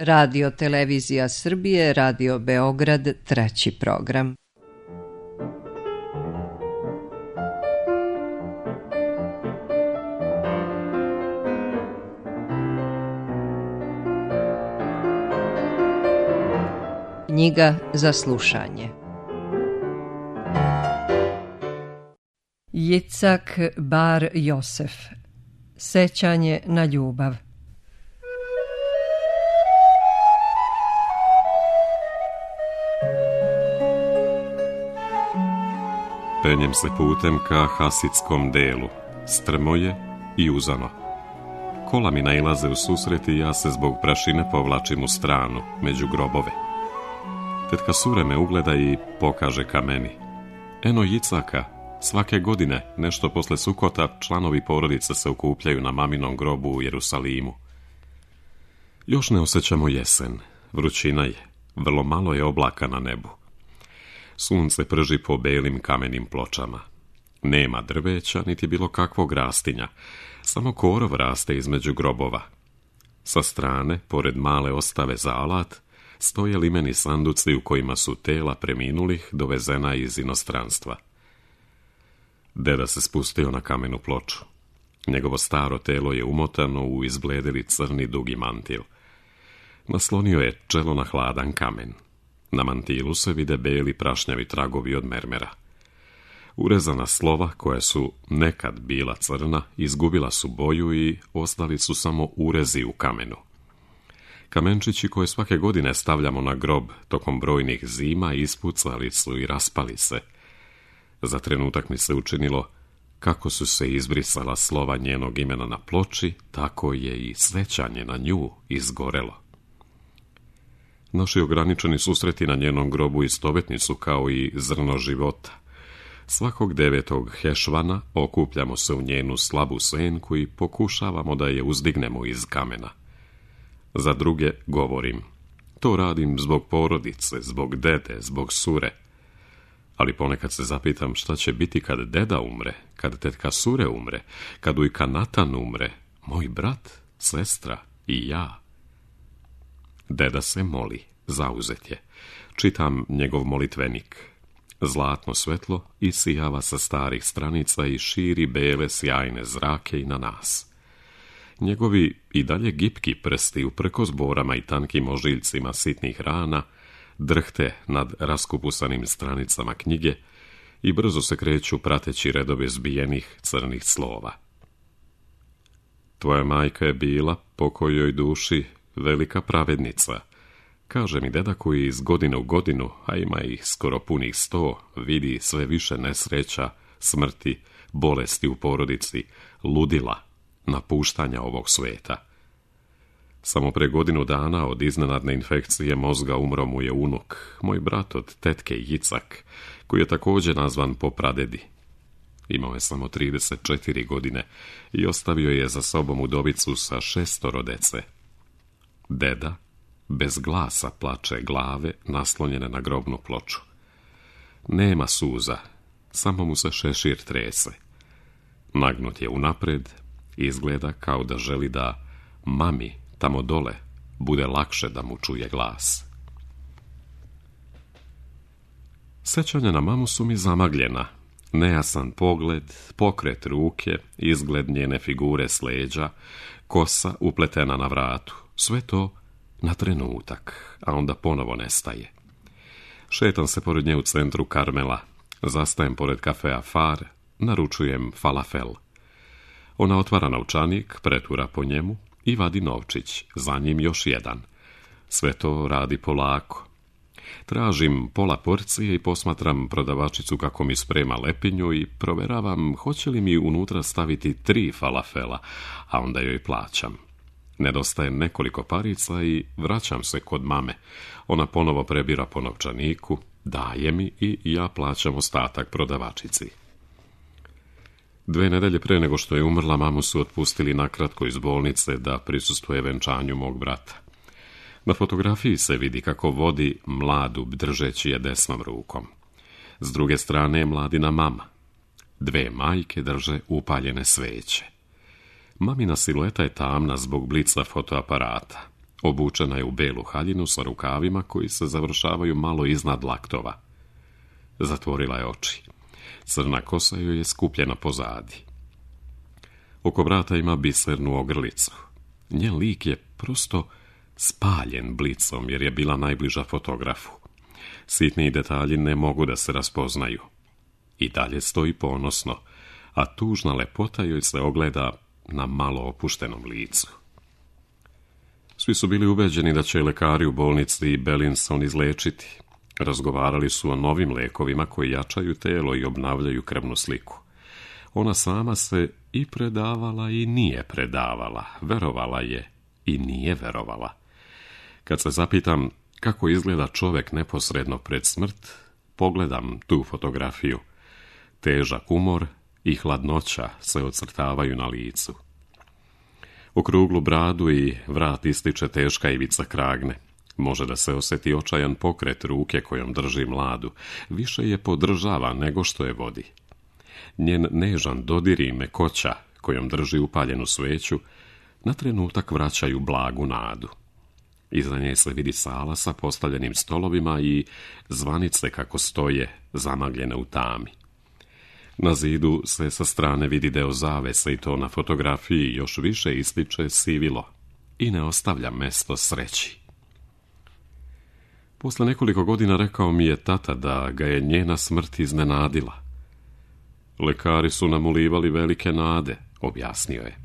Radio Televizija Srbije, Radio Beograd, treći program. Knjiga za slušanje. Jicak Bar Josef. Sećanje na ljubav. Penjem se putem ka Hasitskom delu, strmo je i uzano. Kola mi nailaze u susret i ja se zbog prašine povlačim u stranu, među grobove. Tetka Sure me ugleda i pokaže ka meni. Eno Jicaka, svake godine, nešto posle Sukota, članovi porodice se okupljaju na maminom grobu u Jerusalimu. Još ne osjećamo jesen, vrućina je, vrlo malo je oblaka na nebu. Sunce prži po belim kamenim pločama. Nema drveća, niti bilo kakvog rastinja, samo korov raste između grobova. Sa strane, pored male ostave za alat, stoje limeni sanduci u kojima su tela preminulih dovezena iz inostranstva. Deda se spustio na kamenu ploču. Njegovo staro telo je umotano u izbledeli crni dugi mantil. Naslonio je čelo na hladan kamen. Na mantilu se vide beli prašnjavi tragovi od mermera. Urezana slova, koja su nekad bila crna, izgubila su boju i ostali su samo urezi u kamenu. Kamenčići koje svake godine stavljamo na grob tokom brojnih zima ispucali su i raspali se. Za trenutak mi se učinilo kako su se izbrisala slova njenog imena na ploči, tako je i sećanje na nju izgorelo. Naši ograničeni susreti na njenom grobu istovetni su kao i zrno života. Svakog 9. Hešvana okupljamo se u njenu slabu senku i pokušavamo da je uzdignemo iz kamena. Za druge govorim, to radim zbog porodice, zbog dede, zbog Sure. Ali ponekad se zapitam šta će biti kad deda umre, kad tetka Sure umre, kad ujka Natan umre, moj brat, sestra i ja. Deda se moli, zauzet je. Čitam njegov molitvenik. Zlatno svetlo isijava sa starih stranica i širi bele sjajne zrake i na nas. Njegovi i dalje gipki prsti uprkos borama i tankim ožiljcima sitnih rana drhte nad raskupusanim stranicama knjige i brzo se kreću prateći redove zbijenih crnih slova. Tvoja majka je bila, pokojoj duši, velika pravednica, kaže mi deda koji iz godine u godinu, a ima ih skoro punih 100, vidi sve više nesreća, smrti, bolesti u porodici, ludila, napuštanja ovog sveta. Samo pre godinu dana od iznenadne infekcije mozga umro mu je unuk, moj brat od tetke Jicak, koji je također nazvan po pradedi. Imao je samo 34 godine i ostavio je za sobom udovicu sa 6 dece. Deda bez glasa plače, glave naslonjene na grobnu ploču. Nema suza, samo mu se šešir trese. Nagnut je unapred, izgleda kao da želi da mami tamo dole bude lakše da mu čuje glas. Sećanja na mamu su mi zamagljena. Nejasan pogled, pokret ruke, izgled njene figure s leđa, kosa upletena na vratu. Sve to na trenutak, a onda ponovo nestaje. Šetam se pored nje u centru Karmela. Zastajem pored kafea Far, naručujem falafel. Ona otvara novčanik, pretura po njemu i vadi novčić, za njim još jedan. Sve to radi polako. Tražim pola porcije i posmatram prodavačicu kako mi sprema lepinju i proveravam hoće li mi unutra staviti 3 falafela, a onda joj plaćam. Nedostaje nekoliko parica i vraćam se kod mame. Ona ponovo prebira po novčaniku, daje mi i ja plaćam ostatak prodavačici. 2 nedelje pre nego što je umrla, mamu su otpustili nakratko iz bolnice da prisustvuje venčanju mog brata. Na fotografiji se vidi kako vodi mladu držeći je desnom rukom. S druge strane je mladina mama. 2 majke drže upaljene sveće. Mamina silueta je tamna zbog blica fotoaparata. Obučena je u belu haljinu sa rukavima koji se završavaju malo iznad laktova. Zatvorila je oči. Crna kosa joj je skupljena pozadi. Oko vrata ima bisernu ogrlicu. Njen lik je prosto spaljen blicom jer je bila najbliža fotografu. Sitni detalji ne mogu da se raspoznaju. I dalje stoji ponosno, a tužna lepota joj se ogleda na malo opuštenom licu. Svi su bili ubeđeni da će lekari u bolnici Bellinson izlečiti. Razgovarali su o novim lekovima koji jačaju telo i obnavljaju krvnu sliku. Ona sama se i predavala i nije predavala, verovala je i nije verovala. Kad se zapitam kako izgleda čovjek neposredno pred smrt, pogledam tu fotografiju. Težak umor i hladnoća se ocrtavaju na licu. Okruglu bradu i vrat ističe teška ivica kragne. Može da se osjeti očajan pokret ruke kojom drži mladu. Više je podržava nego što je vodi. Njen nežan dodir i mekoća kojom drži upaljenu sveću na trenutak vraćaju blagu nadu. Iza nje se vidi sala sa postavljenim stolovima i zvanice kako stoje zamagljene u tami. Na zidu se sa strane vidi deo zavese i to na fotografiji još više ističe sivilo i ne ostavlja mesto sreći. Posle nekoliko godina rekao mi je tata da ga je njena smrt iznenadila. Lekari su nam ulivali velike nade, objasnio je.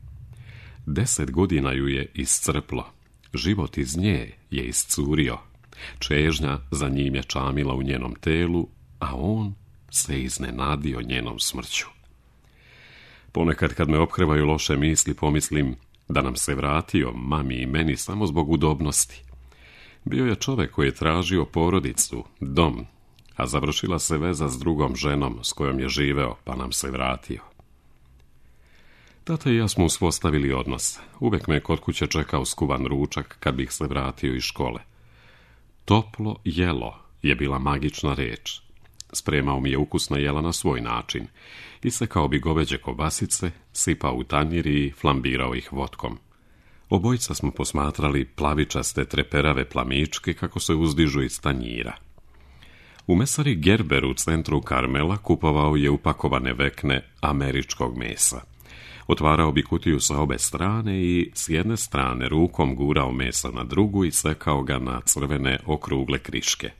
10 godina ju je iscrplo. Život iz nje je iscurio. Čežnja za njim je čamila u njenom telu, a on se iznenadio njenom smrću. Ponekad kad me ophrevaju loše misli, pomislim da nam se vratio, mami i meni, samo zbog udobnosti. Bio je čovjek koji je tražio porodicu, dom, a završila se veza s drugom ženom s kojom je živeo, pa nam se vratio. Tata i ja smo uspostavili odnos. Uvek me kod kuće čekao skuvan ručak kad bih se vratio iz škole. Toplo jelo je bila magična reč. Spremao mi je ukusna jela na svoj način. Isekao bi goveđe kobasice, sipao u tanjir i flambirao ih vodkom. Obojica smo posmatrali plavičaste treperave plamičke kako se uzdižu iz tanjira. U mesari Gerber u centru Karmela kupovao je upakovane vekne američkog mesa. Otvarao bi kutiju sa obe strane i s jedne strane rukom gurao meso na drugu i sekao ga na crvene okrugle kriške.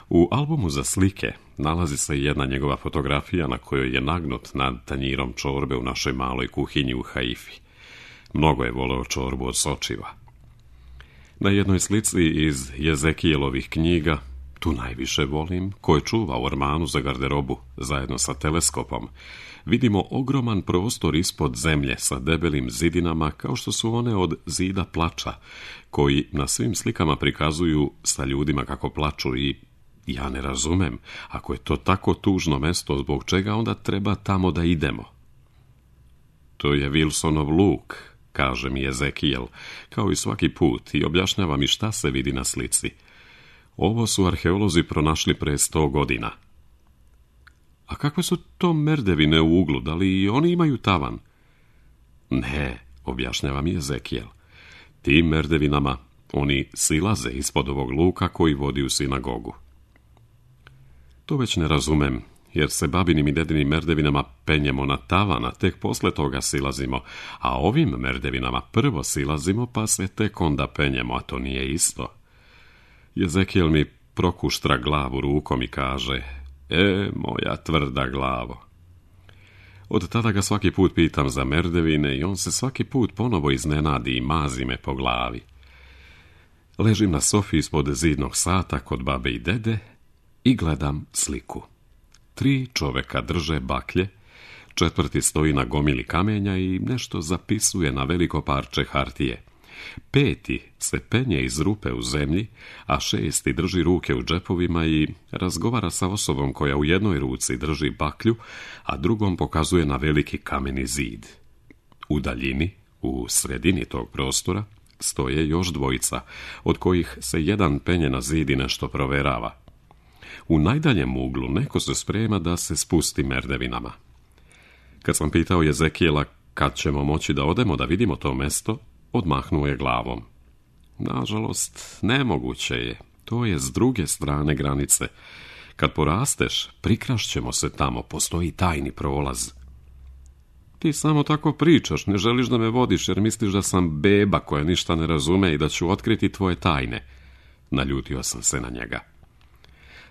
U albumu za slike nalazi se jedna njegova fotografija na kojoj je nagnut nad tanjirom čorbe u našoj maloj kuhinji u Haifi. Mnogo je voleo čorbu od sočiva. Na jednoj slici iz Jezekijelovih knjiga, tu najviše volim, koje čuva u ormanu za garderobu zajedno sa teleskopom, vidimo ogroman prostor ispod zemlje sa debelim zidinama kao što su one od Zida plača, koji na svim slikama prikazuju sa ljudima kako plaču i ja ne razumem, ako je to tako tužno mesto, zbog čega onda treba tamo da idemo. To je Wilsonov luk, kaže mi Ezekijel, kao i svaki put, i objašnjava mi šta se vidi na slici. Ovo su arheolozi pronašli pre 100 godina. A kakve su to merdevine u uglu, da li i oni imaju tavan? Ne, objašnjava mi Ezekijel. Tim merdevinama oni silaze ispod ovog luka koji vodi u sinagogu. To već ne razumem, jer se babinim i dedinim merdevinama penjemo na tavan, a tek posle toga silazimo, a ovim merdevinama prvo silazimo, pa se tek onda penjemo, a to nije isto. Ezekijel mi prokuštra glavu rukom i kaže, moja tvrda glavo. Od tada ga svaki put pitam za merdevine i on se svaki put ponovo iznenadi i mazi me po glavi. Ležim na sofi ispod zidnog sata kod babe i dede i gledam sliku. 3 čoveka drže baklje, 4. stoji na gomili kamenja i nešto zapisuje na veliko parče hartije. 5. se penje iz rupe u zemlji, a 6. drži ruke u džepovima i razgovara sa osobom koja u jednoj ruci drži baklju, a drugom pokazuje na veliki kameni zid. U daljini, u sredini tog prostora, stoje još 2, od kojih se jedan penje na zid i nešto proverava. U najdaljem uglu neko se sprema da se spusti merdevinama. Kad sam pitao Ezekijela kad ćemo moći da odemo da vidimo to mesto, odmahnuo je glavom. Nažalost, nemoguće je. To je s druge strane granice. Kad porasteš, prikrašćemo se tamo, postoji tajni prolaz. Ti samo tako pričaš, ne želiš da me vodiš jer misliš da sam beba koja ništa ne razume i da ću otkriti tvoje tajne. Naljutio sam se na njega.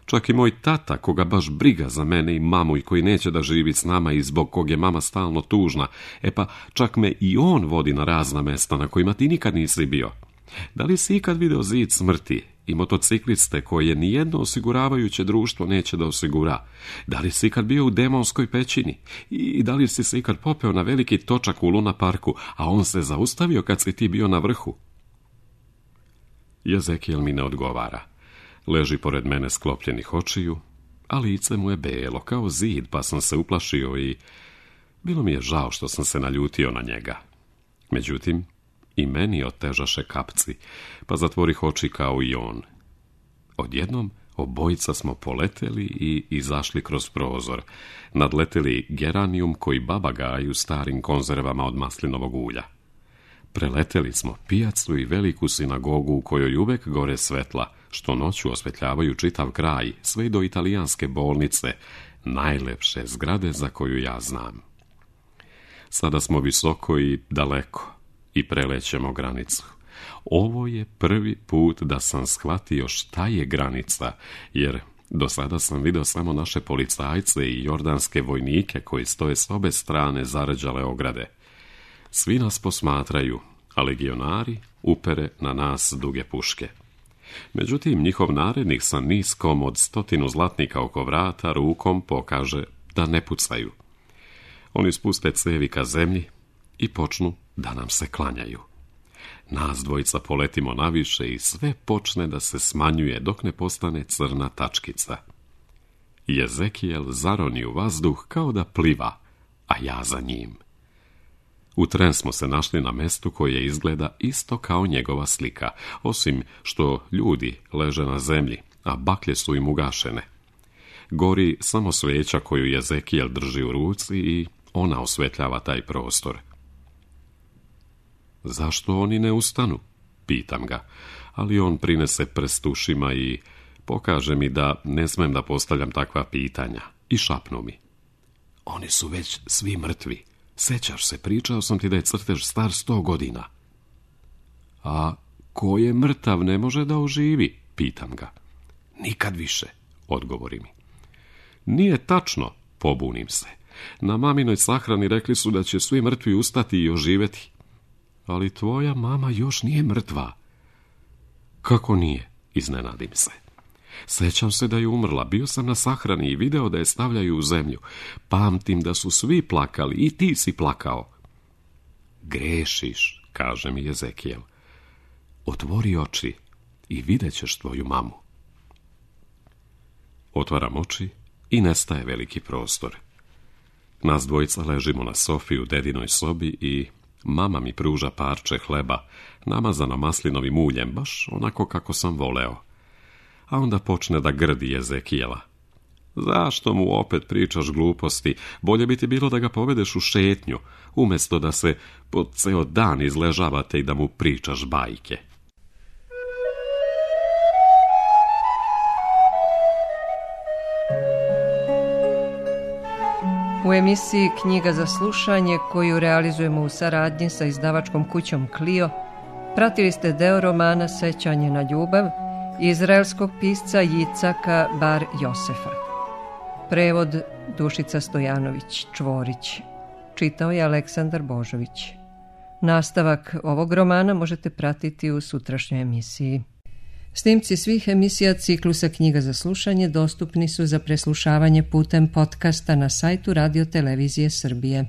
Čak i moj tata, koga baš briga za mene i mamu i koji neće da živi s nama i zbog kog je mama stalno tužna, pa čak me i on vodi na razna mesta na kojima ti nikad nisi bio. Da li si ikad video zid smrti i motocikliste koje nijedno osiguravajuće društvo neće da osigura? Da li si ikad bio u demonskoj pećini? I da li si se ikad popeo na veliki točak u Luna parku, a on se zaustavio kad si ti bio na vrhu? Jezekijel mi ne odgovara. Leži pored mene sklopljenih očiju, a lice mu je belo kao zid, pa sam se uplašio i bilo mi je žao što sam se naljutio na njega. Međutim, i meni otežaše kapci, pa zatvorih oči kao i on. Odjednom obojica smo poleteli i izašli kroz prozor, nadleteli geranijum koji baba gaji u starim konzervama od maslinovog ulja. Preleteli smo pijacu i veliku sinagogu u kojoj uvek gore svetla, što noću osvetljavaju čitav kraj, sve do italijanske bolnice, najlepše zgrade za koju ja znam. Sada smo visoko i daleko i prelećemo granicu. Ovo je prvi put da sam shvatio šta je granica, jer do sada sam vidio samo naše policajce i jordanske vojnike koji stoje s obe strane zarađale ograde. Svi nas posmatraju, a legionari upere na nas duge puške. Međutim, njihov narednik sa niskom od 100 zlatnika oko vrata rukom pokaže da ne pucaju. Oni spuste cevi ka zemlji i počnu da nam se klanjaju. Nas dvojica poletimo naviše i sve počne da se smanjuje dok ne postane crna tačkica. Jezekijel zaroni u vazduh kao da pliva, a ja za njim. U tren smo se našli na mestu koje izgleda isto kao njegova slika, osim što ljudi leže na zemlji, a baklje su im ugašene. Gori samo sveća koju Jezekijel drži u ruci i ona osvetljava taj prostor. Zašto oni ne ustanu? Pitam ga, ali on prinese prst ušima i pokaže mi da ne smem da postavljam takva pitanja i šapnu mi. Oni su već svi mrtvi. Sećaš se, pričao sam ti da je crtež star 100 godina. A ko je mrtav ne može da oživi? Pitam ga. Nikad više, odgovori mi. Nije tačno, pobunim se. Na maminoj sahrani rekli su da će svi mrtvi ustati i oživeti. Ali tvoja mama još nije mrtva. Kako nije? Iznenadim se. Sećam se da je umrla, bio sam na sahrani i video da je stavljaju u zemlju. Pamtim da su svi plakali i ti si plakao. Grešiš, kaže mi Jezekijel. Otvori oči i vidjet ćeš tvoju mamu. Otvaram oči i nestaje veliki prostor. Nas dvojica ležimo na sofi u dedinoj sobi i mama mi pruža parče hleba, namazano maslinovim uljem, baš onako kako sam voleo. A onda počne da grdi Jezekijela. Zašto mu opet pričaš gluposti? Bolje bi ti bilo da ga povedeš u šetnju, umjesto da se po ceo dan izležavate i da mu pričaš bajke. U emisiji Knjiga za slušanje, koju realizujemo u saradnji sa izdavačkom kućom Clio, pratili ste deo romana Sećanje na ljubav izraelskog pisca Jicaka Bar Josefa. Prevod Dušica Stojanović Čvorić. Čitao je Aleksandar Božović. Nastavak ovog romana možete pratiti u sutrašnjoj emisiji. Snimci svih emisija ciklusa Knjiga za slušanje dostupni su za preslušavanje putem podcasta na sajtu Radio Televizije Srbije.